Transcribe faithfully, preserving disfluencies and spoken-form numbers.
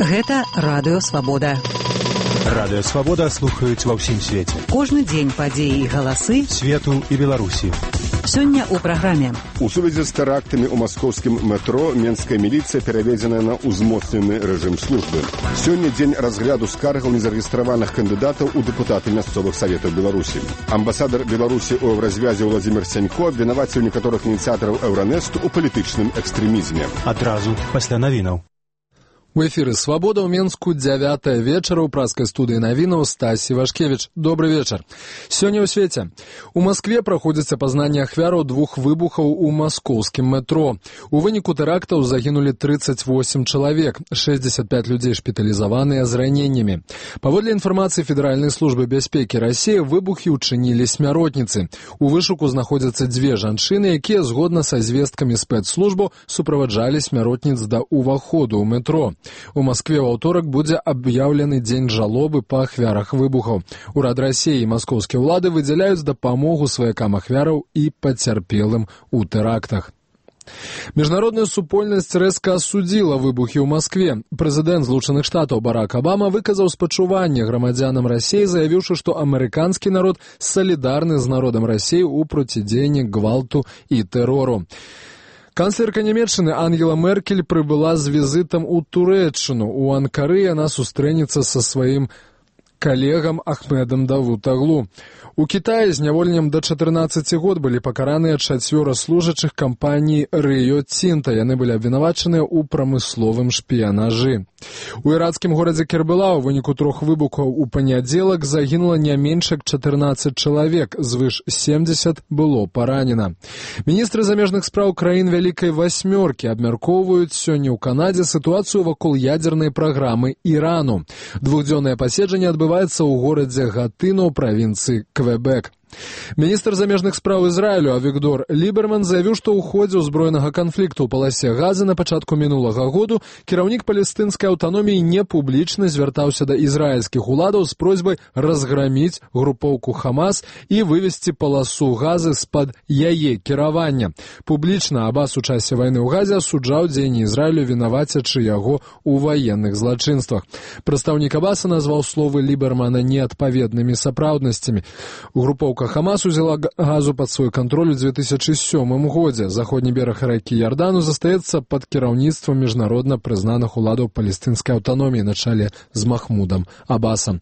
Гэта Радыё Свабода. Радыё Свабода слухаюць ва ўсім свеце. Кожны дзень падзеі і галасы свету і Беларусі. Сёння ў праграме. У сувязі з тэрактамі ў маскоўскім метро менская міліцыя пераведзеная на ўзмоцнены рэжым службы. Сёння дзень разгляду скаргаў незарэгістраваных кандыдатаў у дэпутаты мясцовых саветаў Беларусі. Амбасадар Беларусі ў Еўразвязе Владзімір Сянько абвінаваціў некаторых ініцыятараў Еўранэсту ў палітычным экстрэмізме. Адразу пасля навінаў. У эфіры «Свабода» ў Менску дзявятая вечара ў праскай студыі навінаў Стасі Вашкевіч. Добры вечар. Сёння ў свеце. У Маскве праходзіць апазнанне ахвяраў двух выбухаў у маскоўскім метро. У выніку тэрактаў загінулі трыццаць восем чалавек, шэсцьдзесят пяць людзей шпіталізаваныя з раненнямі. Паводле інфармацыі Федэральнай службы бяспекі Расіі, выбухі ўчынілі смяротніцы. У вышуку знаходзяцца дзве жанчыны, якія згодна са звесткамі спецслужбаў суправаджалі смяротніц да ўваходу ў метро. У Маскве ў аўторак будзе аб'яўлены дзень жалобы па ахвярах выбухаў. Урад Расіі і маскоўскія ўлады выдзяляюць дапамогу сваякам ахвяраў і пацярпелым у тэрактах. Міжнародная супольнасць рэзка асудзіла выбухі ў Маскве. Прэзідэнт Злучаных Штатаў Барак Абама выказаў спачуванне грамадзянам Расіі, заявіўшы, што амерыканскі народ салідарны з народам Расіі ў процідзеянні гвалту і тэрору. Канцлерка Нямецчыны Ангела Меркель прыбыла з візітам у Турэччыну. У Анкары яна сустрэнецца са сваім калегам Ахмедам Давутаглу. У Кітаі зняволеннем да чатырнаццаці год былі пакараныя чацвёра служачых кампаніі Рыё Цінта. Яны былі абвінавачаныя ў прамысловым шпіянажы. У ірацкім горадзе Кербела ў выніку трох выбухаў у панядзелак загінула не менш як чатырнаццаць чалавек, звыш семдзесят было паранена. Міністры замежных спраў краін Вялікай Васьмёркі абмяркоўваюць сёння ў Канадзе сітуацыю вакол ядзернай праграмы Ірану. Двухдзённае паседжанне адбываецца ў горадзе Гатына ў правінцыі Квебек. Міністр замежных спраў Ізраілю Авігдор Ліберман заявіў, што ў ходзе ўзброенага канфлікту ў паласе Газы на пачатку мінулага году кіраўнік палестынскай аўтаноміі непублічна звяртаўся да ізраільскіх уладаў з просьбай разграміць групоўку Хамас і вывесці паласу Газы з-пад яе кіравання. Публічна Абас у часе вайны ў Газе асуджаў дзеянні Ізраілю, вінавацячы яго ў ваенных злачынствах. Прадстаўнік Абаса назваў словы Лібермана неадпаведнымі сапраўднасцямі. Групоўка Хамас узяла Газу пад свой кантроль у дзве тысячы сёмым годзе. Заходні бераг ракі Ярдану застаецца пад кіраўніцтвам міжнародна прызнаных уладаў палестынскай аўтаноміі на чале з Махмудам Абасам.